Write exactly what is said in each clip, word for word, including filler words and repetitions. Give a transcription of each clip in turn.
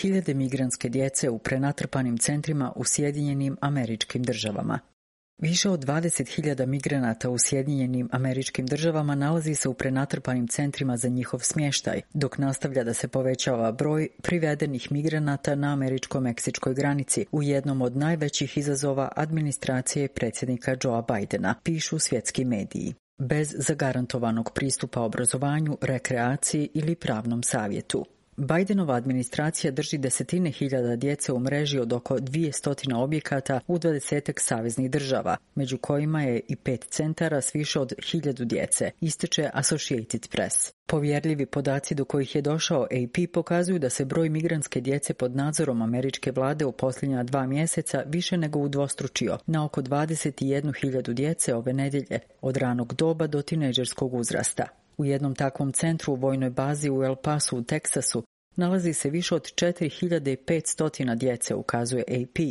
hiljade migrantske djece u prenatrpanim centrima u Sjedinjenim Američkim Državama. Više od dvadeset hiljada migranata u Sjedinjenim Američkim Državama nalazi se u prenatrpanim centrima za njihov smještaj, dok nastavlja da se povećava broj privedenih migranata na američko-meksičkoj granici u jednom od najvećih izazova administracije predsjednika Joea Bidena, pišu svjetski mediji. Bez zagarantovanog pristupa obrazovanju, rekreaciji ili pravnom savjetu. Bidenova administracija drži desetine hiljada djece u mreži od oko dvjesto objekata u dvadesetak saveznih država, među kojima je i pet centara s više od hiljadu djece, ističe Associated Press. Povjerljivi podaci do kojih je došao A P pokazuju da se broj migrantske djece pod nadzorom američke vlade u posljednja dva mjeseca više nego udvostručio na oko dvadeset jednu hiljadu djece ove nedjelje, od ranog doba do tinejdžerskog uzrasta. U jednom takvom centru u vojnoj bazi u El Pasu u Teksasu nalazi se više od četiri hiljade petsto djece, ukazuje A P,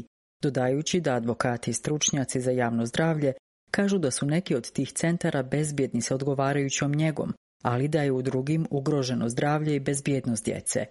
dodajući da advokati i stručnjaci za javno zdravlje kažu da su neki od tih centara bezbjedni sa odgovarajućom njegom, ali da je u drugim ugroženo zdravlje i bezbjednost djece.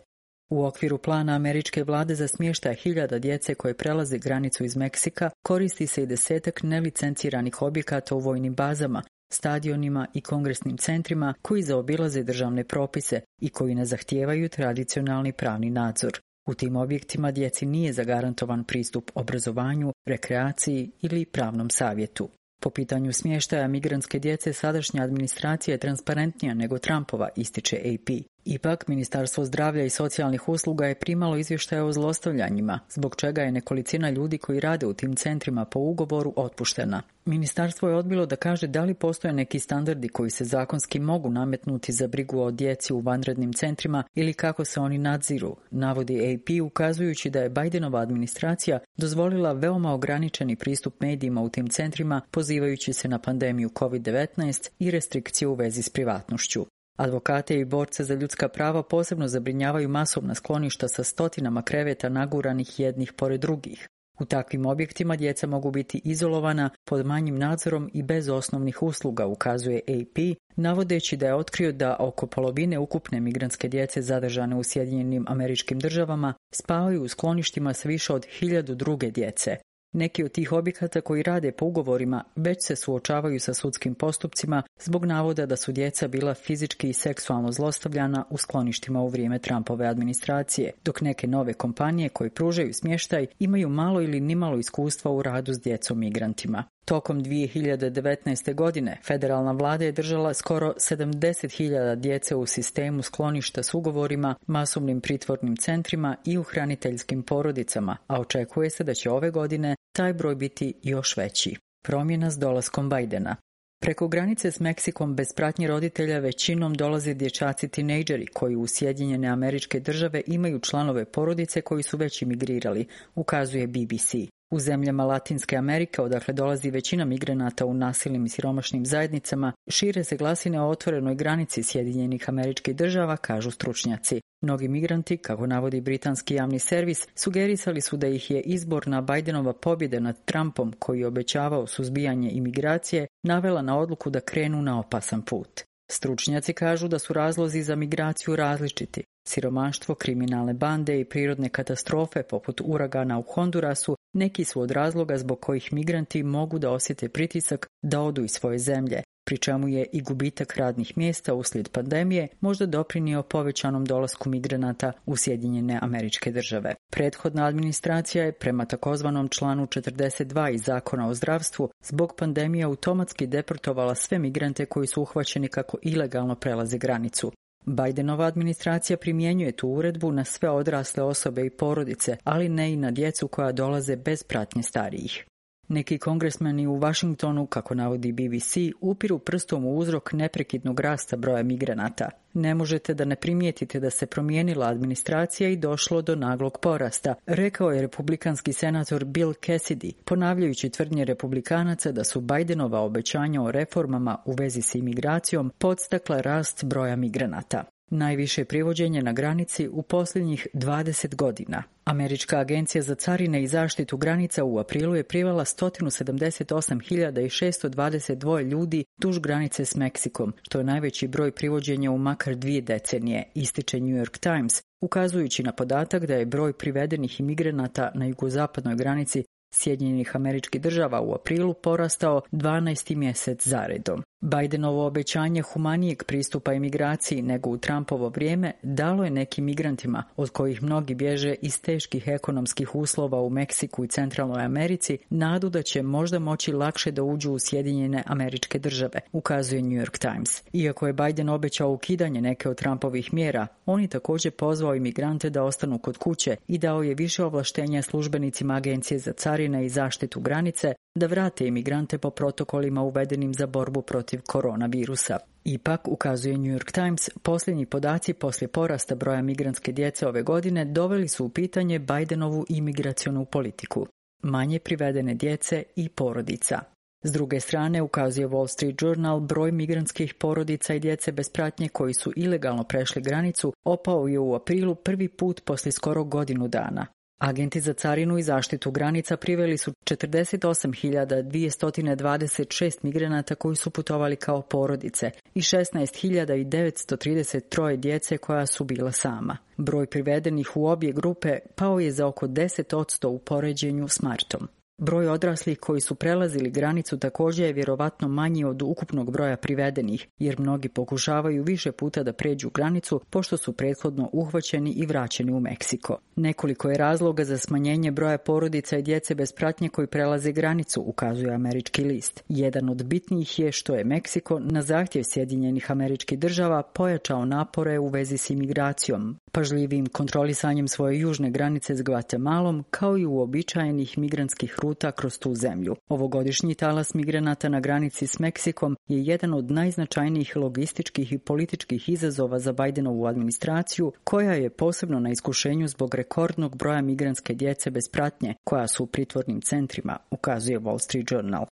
U okviru plana američke vlade za smještaj hiljada djece koje prelaze granicu iz Meksika koristi se i desetak nelicenciranih objekata u vojnim bazama, stadionima i kongresnim centrima koji zaobilaze državne propise i koji ne zahtijevaju tradicionalni pravni nadzor. U tim objektima djeci nije zagarantovan pristup obrazovanju, rekreaciji ili pravnom savjetu. Po pitanju smještaja migrantske djece sadašnja administracija je transparentnija nego Trumpova, ističe A P. Ipak, Ministarstvo zdravlja i socijalnih usluga je primalo izvještaje o zlostavljanjima, zbog čega je nekolicina ljudi koji rade u tim centrima po ugovoru otpuštena. Ministarstvo je odbilo da kaže da li postoje neki standardi koji se zakonski mogu nametnuti za brigu o djeci u vanrednim centrima ili kako se oni nadziru, navodi A P ukazujući da je Bidenova administracija dozvolila veoma ograničeni pristup medijima u tim centrima pozivajući se na pandemiju kovid devetnaest i restrikcije u vezi s privatnošću. Advokate i borce za ljudska prava posebno zabrinjavaju masovna skloništa sa stotinama kreveta naguranih jednih pored drugih. U takvim objektima djeca mogu biti izolovana pod manjim nadzorom i bez osnovnih usluga, ukazuje A P, navodeći da je otkrio da oko polovine ukupne migrantske djece zadržane u Sjedinjenim Američkim Državama spavaju u skloništima s više od hiljadu druge djece. Neki od tih objekata koji rade po ugovorima već se suočavaju sa sudskim postupcima zbog navoda da su djeca bila fizički i seksualno zlostavljana u skloništima u vrijeme Trumpove administracije, dok neke nove kompanije koje pružaju smještaj imaju malo ili nimalo iskustva u radu s djecom migrantima. Tokom dvije hiljade devetnaeste. godine federalna vlada je držala skoro sedamdeset hiljada djece u sistemu skloništa s ugovorima, masovnim pritvornim centrima i u hraniteljskim porodicama, a očekuje se da će ove godine taj broj biti još veći. Promjena s dolaskom Bidena. Preko granice s Meksikom bez pratnje roditelja većinom dolaze dječaci tinejdžeri koji u Sjedinjene Američke Države imaju članove porodice koji su već imigrirali, ukazuje B B C. U zemljama Latinske Amerike, odakle dolazi većina migranata u nasilnim i siromašnim zajednicama, šire se glasine o otvorenoj granici Sjedinjenih Američkih Država, kažu stručnjaci. Mnogi migranti, kako navodi britanski javni servis, sugerisali su da ih je izborna Bidenova pobjeda nad Trumpom, koji je obećavao suzbijanje imigracije, navela na odluku da krenu na opasan put. Stručnjaci kažu da su razlozi za migraciju različiti. Siromaštvo, kriminalne bande i prirodne katastrofe poput uragana u Hondurasu neki su od razloga zbog kojih migranti mogu da osjete pritisak da odu iz svoje zemlje, pri čemu je i gubitak radnih mjesta uslijed pandemije možda doprinio povećanom dolasku migranata u Sjedinjene Američke Države. Prethodna administracija je prema takozvanom članu četrdeset dva iz Zakona o zdravstvu zbog pandemije automatski deportovala sve migrante koji su uhvaćeni kako ilegalno prelaze granicu. Bidenova administracija primjenjuje tu uredbu na sve odrasle osobe i porodice, ali ne i na djecu koja dolaze bez pratnje starijih. Neki kongresmeni u Washingtonu, kako navodi B B C, upiru prstom u uzrok neprekidnog rasta broja migranata. Ne možete da ne primijetite da se promijenila administracija i došlo do naglog porasta, rekao je republikanski senator Bill Cassidy, ponavljajući tvrdnje republikanaca da su Bidenova obećanja o reformama u vezi s imigracijom podstakla rast broja migranata. najviše privođenje na granici u posljednjih dvadeset godina. Američka agencija za carine i zaštitu granica u aprilu je privela sto sedamdeset osam hiljada šesto dvadeset dva ljudi duž granice s Meksikom, što je najveći broj privođenja u makar dvije decenije, ističe New York Times, ukazujući na podatak da je broj privedenih imigranata na jugozapadnoj granici Sjedinjenih Američkih Država u aprilu porastao dvanaesti mjesec zaredom. Bidenovo obećanje humanijeg pristupa imigraciji nego u Trumpovo vrijeme dalo je nekim migrantima, od kojih mnogi bježe iz teških ekonomskih uslova u Meksiku i Centralnoj Americi, nadu da će možda moći lakše da uđu u Sjedinjene Američke Države, ukazuje New York Times. Iako je Biden obećao ukidanje neke od Trumpovih mjera, on je također pozvao imigrante da ostanu kod kuće i dao je više ovlaštenja službenicima Agencije za carine i zaštitu granice da vrate imigrante po protokolima uvedenim za borbu protiv koronavirusa. Ipak, ukazuje New York Times, posljednji podaci poslije porasta broja migrantske djece ove godine doveli su u pitanje Bidenovu imigracionu politiku. Manje privedene djece i porodica. S druge strane, ukazuje Wall Street Journal, broj migrantskih porodica i djece bez pratnje koji su ilegalno prešli granicu opao je u aprilu prvi put poslije skoro godinu dana. Agenti za carinu i zaštitu granica priveli su četrdeset osam hiljada dvjesto dvadeset šest migranata koji su putovali kao porodice i šesnaest hiljada devetsto trideset tri djece koja su bila sama. Broj privedenih u obje grupe pao je za oko deset posto u poređenju s martom. Broj odraslih koji su prelazili granicu također je vjerovatno manji od ukupnog broja privedenih, jer mnogi pokušavaju više puta da pređu granicu pošto su prethodno uhvaćeni i vraćeni u Meksiko. Nekoliko je razloga za smanjenje broja porodica i djece bez pratnje koji prelaze granicu, ukazuje Američki list. Jedan od bitnijih je što je Meksiko na zahtjev Sjedinjenih Američkih Država pojačao napore u vezi s imigracijom, pažljivim kontrolisanjem svoje južne granice s Gvatemalom, kao i uobičajenih migrantskih ruta kroz tu zemlju. Ovogodišnji talas migranata na granici s Meksikom je jedan od najznačajnijih logističkih i političkih izazova za Bidenovu administraciju, koja je posebno na iskušenju zbog rekordnog broja migrantske djece bez pratnje, koja su u pritvornim centrima, ukazuje Wall Street Journal.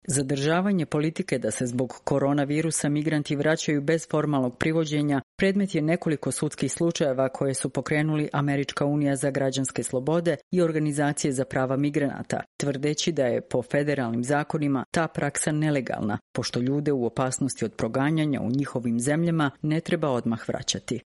Zadržavanje politike da se zbog koronavirusa migranti vraćaju bez formalnog privođenja predmet je nekoliko sudskih slučajeva koje su pokrenuli Američka unija za građanske slobode i organizacije za prava migranata, tvrdeći da je po federalnim zakonima ta praksa nelegalna, pošto ljude u opasnosti od proganjanja u njihovim zemljama ne treba odmah vraćati.